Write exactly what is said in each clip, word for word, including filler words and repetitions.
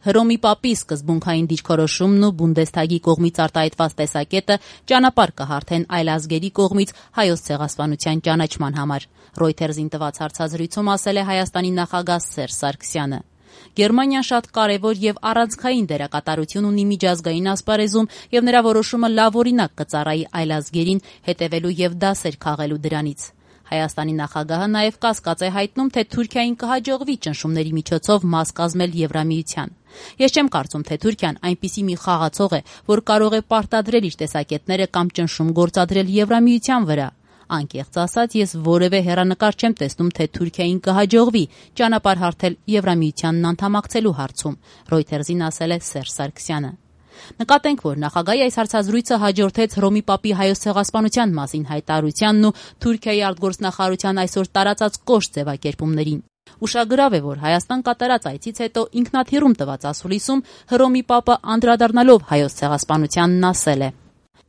Հռոմի Պապի սկզբունքային դիրքորոշումն ու Բունդեսթագի կողմից արտահայտված տեսակետը ճանապարհ կհարթեն այլազգերի կողմից հայոց ցեղասպանության ճանաչման համար։ Reuters-ին տված հարցազրույցում ասել է Հայաստանի նախագահ Սերժ Սարգսյանը։ Գերմանիան շատ կարևոր եւ առանցքային դերակատարություն ունի միջազգային ասպարեզում եւ նրա որոշումը լավ օրինակ կծառայի այլազգերին հետեւելու եւ դասեր քաղելու դրանից։ Հայաստանի նախագահը նաև կասկած է հայտնում, թե Թուրքիային կհաջողվի ճնշումների միջոցով մաս կազմել Եվրամիության։ Ես չեմ կարծում, թե Թուրքիան այնպիսի մի խաղացող է, որ կարող է պարտադրել իր տեսակետները կամ ճնշում գործադրել Եվրամիության վրա։ Անկեղծ ասած, ես որևէ հեռանկար չեմ տեսնում, թե Թուրքիային կհաջողվի ճանապարհ հարթել Եվրամիությանն անդամակցելու հարցում, Reuters-ին ասել է Սերժ Սարգսյանը։ Նկատենք, որ նախագահի այս հարցազրույցը հաջորդեց Հռոմի Պապի հայոց ցեղասպանության մասին հայտարարությանն ու Թուրքիայի արտգործնախարարության այսօր տարածած կոշտ ձևակերպումներին։ Ուշագրավ է, որ Հայաստան կատարած այցից հետո ինքնաթիռում տված ասուլիսում Հռոմի Պապը անդրադառնալով հայոց ցեղասպանությանն ասել է.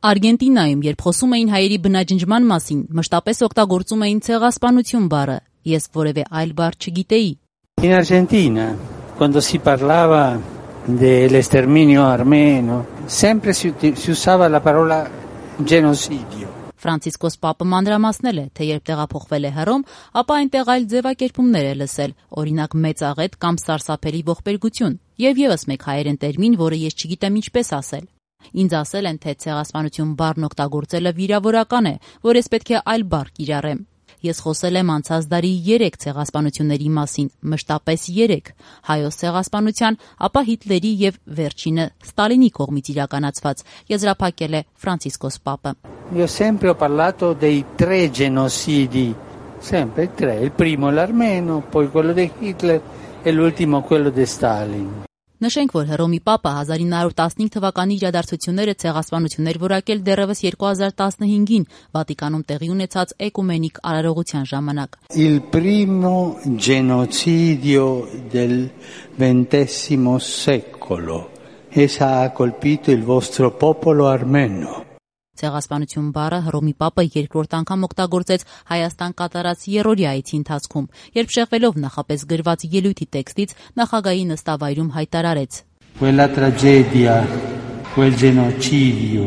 Արգենտինայում, երբ խոսում էին հայերի բնաջնջման մասին, մշտապես օգտագործում էին ցեղասպանություն բառը։ Ես որևէ այլ բառ չգիտեի։ In Argentina, quando si parlava dell'esterminio armeno, sempre si, si usava la parola genocidio. Ֆրանցիսկոս Պապը մանրամասնել է, թե երբ տեղափոխվել է Հռոմ, ապա այնտեղ այլ ձևակերպումներ է լսել, օրինակ մեծաղետ կամ սարսափելի ողբերգություն, եւ եւս մեկ հայերեն տերմին, որը ես չգիտեմ ինչպես ասել։ Ինձ ասել են, թե ցեղասպանություն բառն օգտագործելը վիրավորական է, որ ես պետք է այլ բառ կիրառեմ։ Ես խոսել եմ անցած դարի երեք ցեղասպանությունների մասին, մշտապես երեք, հայոց ցեղասպանության, ապա Հիտլերի եւ վերջինը Ստալինի կողմից իրականացված, եզրափակել է Ֆրանցիսկոս Պապը։ Io sempre ho parlato dei tre genocidi, sempre tre, il primo l'armeno, poi quello di Hitler e l'ultimo quello di Stalin. Նշենք, որ Հռոմի Պապը հազար ինը հարյուր տասնհինգ թվականի իրադարձությունները ցեղասպանություններ որակել դեռևս երկու հազար տասնհինգին Վատիկանում տեղի ունեցած էկումենիկ արարողության ժամանակ։ Il primo genocidio del ventesimo secolo. Essa ha colpito il vostro popolo armeno. Ցեղասպանություն բառը Հռոմի Պապը երկրորդ անգամ օգտագործեց Հայաստան կատարած երրորդյա այցի ընթացքում, երբ շեղվելով նախապես գրված ելույթի տեքստից նախագահի նստավայրում հայտարարեց. Quella tragedia, quel genocidio.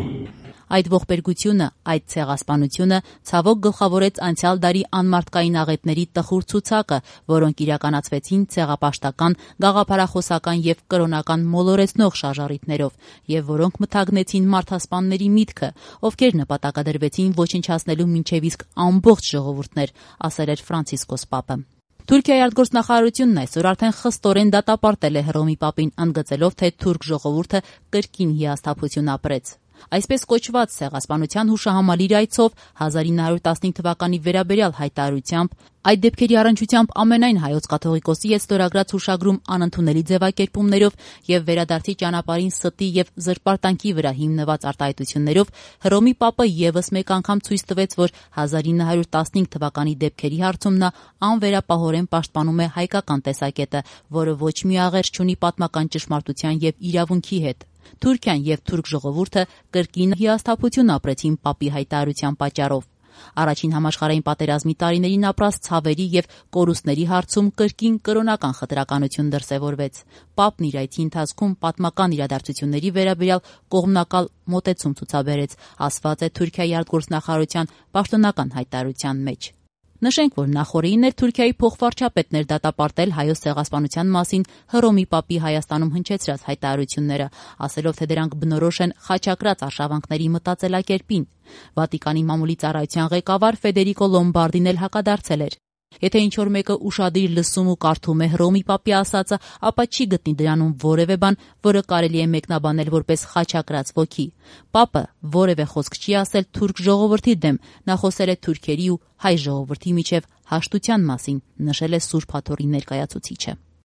Այդ ողբերգությունը, այդ ցեղասպանությունը ցավոք գլխավորեց անցյալ դարի անմարդկային աղետների տխուր ցուցակը, որոնք իրականացվեցին ցեղապաշտական, գաղափարախոսական եւ կրոնական մոլորեցնող շարժառիթներով, եւ որոնք մթագնեցին մարդասպանների միտքը, ովքեր նպատակադրվեցին ոչնչացնելու մինչեւ իսկ ամբողջ ժողովուրդներ, ասել էր Ֆրանցիսկոս Պապը։ Թուրքիայի արտգործնախարարությունն այսօր արդեն խստորեն դատապարտել է Հռոմի Պապին, ընդգծելով, թե թուրք ժողովուրդը կրկին հիասթափություն ապրեց։ Այսպես կոչված ցեղասպանության հուշահամալիր այցով հազար ինը հարյուր տասնհինգ թվականի վերաբերյալ հայտարարությամբ, այդ դեպքերի առնչությամբ ամենայն հայոց կաթողիկոսի հետ ստորագրած հուշագրում անընդունելի ձևակերպումներով եւ վերադարձի ճանապարհին ստի եւ զրպարտանքի վրա հիմնված արտահայտություններով Հռոմի Պապը եւս մեկ անգամ ցույց տվեց, որ հազար ինը հարյուր տասնհինգ թվականի դեպքերի հարցում նա անվերապահորեն պաշտպանում է հայկական տեսակետը, որը ոչ մի աղերս չունի պատմական ճշմարտության եւ իրավունքի հետ։ Թուրքիան եւ թուրք ժողովուրդը կրկին հիասթափություն ապրեցին Պապի հայտարարության պատճառով։ Առաջին համաշխարհային պատերազմի տարիներին ապրած ցավերի եւ կորուստների հարցում կրկին կրոնական խտրականություն դրսեւորվեց։ Պապն իր այցի ընթացքում պատմական իրադարձությունների վերաբերյալ կողմնակալ մոտեցում ցուցաբերեց, ասված է Թուրքիայի արտգործնախարարության պաշտոնական հայտարարության մեջ։ Նշենք, որ նախորդին էր Թուրքիայի փոխվարչապետներ դատապարտել հայոց ցեղասպանության մասին Հռոմի Պապի Հայաստանում հնչեցրած հայտարարությունները, ասելով, թե դրանք բնորոշ են խաչակրած արշավանքների մտածելակերպին։ Վատիկանի մամուլի ծառայության ղեկավար Ֆեդերիկո Լոմբարդին էլ հակադարձել էր։ Եթե ինչ-որ մեկը ուշադիր լսում ու կարդում է Հռոմի Պապի ասածը, ապա չի գտնի դրանում որևէ բան, որը կարելի է մեկնաբանել որպես խաչակրած ոգի։ Պապը որևէ խոսք չի ասել թուրք ժողովրդի դեմ, նա խոսել է թուրքերի ու հայ ժողովրդի միջև հաշտության մասին, նշել է Սուրբ Հաթոռի ներկայացուցիչը։